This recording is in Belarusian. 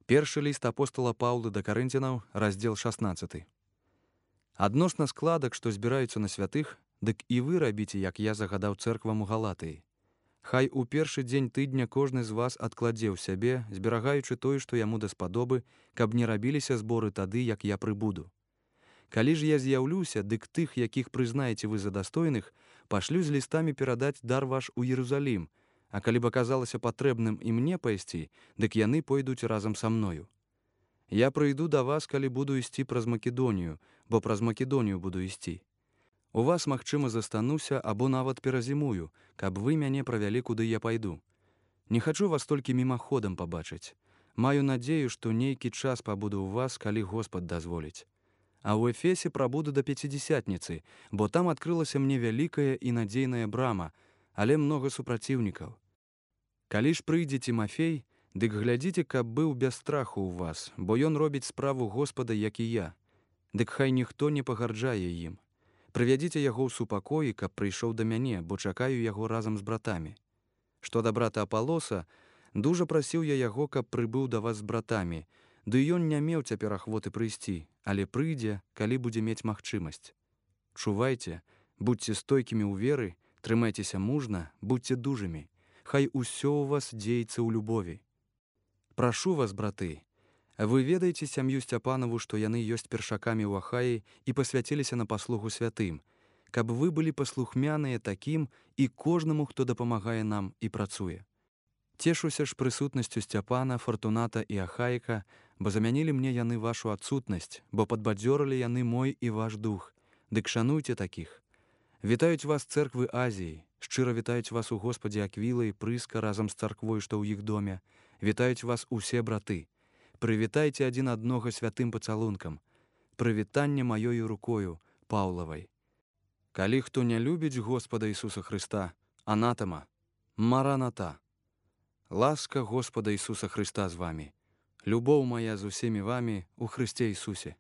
Першы ліст апостала Паўла да Карынцянаў, раздзел 16. Адносна складак, што збіраюцца на святых, дык і вы рабіце, як я загадаў цэрквам у Галатыі. Хай у першы дзень тыдня кожны з вас адкладзе ў сябе, зберагаючы тое, што яму даспадобы, каб не рабіліся зборы тады, як я прыбуду. Калі ж я з'яўлюся, дык тых, якіх прызнаеце вы за дастойных, пашлю з лістамі перадаць дар ваш у Іерусалім, а калі б аказалася патрэбным і мне пайсці, дык яны пойдуць разам са мною. Я прыйду да вас, калі буду ісці праз Македонію, бо праз Македонію буду ісці. У вас, магчыма, застануся або нават перазімую, каб вы мяне правялі, куды я пайду. Не хачу вас толькі мімаходам пабачыць. Маю надзею, што нейкі час пабуду ў вас, калі Господ дазволіць. А ў Эфесе прабуду да Пяцідзесятніцы, бо там адкрылася мне вялікая і надзейная брама, але многа супраціўнікаў. Калі ж прыйдзе Тімафей, дык глядзіце, каб быў без страху ў вас, бо ён робіць справу Господа, як і я. Дык хай ніхто не пагарджае ім. Прывядзіце яго ў супакоі, каб прыйшоў да мяне, бо чакаю яго разам з братамі. Што да брата Апалоса, дужа прасіў я яго, каб прыбыў да вас з братамі, ды ён не меў цяпер ахвоты прыйсці, але прыйдзе, калі будзе мець магчымасць. Чувайце, будзьце стойкімі ў веры, трымайцеся мужна, будзьце дужымі. Хай усё ў вас дзеецца ў любові. Прашу вас, браты, вы ведаеце сям'ю Сцяпанаву, што яны ёсць першакамі ў Ахаі і пасвяціліся на паслугу святым, каб вы былі паслухмяныя такім і кожнаму, хто дапамагае нам і працуе. Цешуся ж прысутнасцю Сцяпана, Фартуната і Ахаіка, бо замянілі мне яны вашу адсутнасць, бо падбадзёрылі яны мой і ваш дух. Дык шануйце такіх. Вітаюць вас цэрквы Азіі, шчыра вітаюць вас у Господе Аквіла і Прыска разам з царквой, што ў іх доме. Вітаюць вас усе браты. Прывітайце адзін аднога святым пацалункам. Прывітанне маёю рукою, Паўлавай. Калі хто не любіць Господа Ісуса Хрыста, анатама, мараната. Ласка Господа Ісуса Хрыста з вамі. Любоў моя з усімі вамі у Хрысце Ісусе.